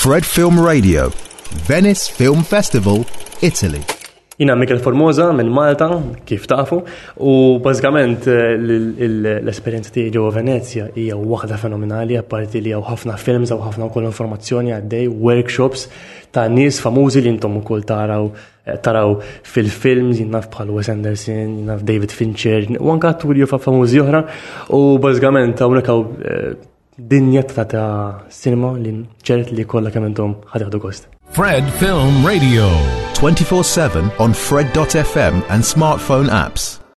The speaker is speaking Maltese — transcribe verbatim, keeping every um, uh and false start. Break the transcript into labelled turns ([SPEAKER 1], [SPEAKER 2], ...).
[SPEAKER 1] Fred Film Radio, Venice Film Festival, Italy.
[SPEAKER 2] Jiena Michael Formosa minn Malta, kif tafu, u bażikament eh, l-esperjenza tiegħi ġewwa Venezja hija waħda fenomenali, apparti li hawn ħafna films, hawn ħafna wkoll informazzjoni għaddej, workshops ta' nies famużi li intom ukoll taraw eh, taraw fil-films, jien naf bħal Wes Anderson, jien naf David Fincher, u anke atturi famużi oħra, u bażikament hawnhekk hawn eh, dinja ta' ta' cinema li ċert li kollha kemm intom ħa tieħdu gost.
[SPEAKER 3] Fred Film Radio.
[SPEAKER 1] twenty-four seven on Fred dot F M and smartphone apps.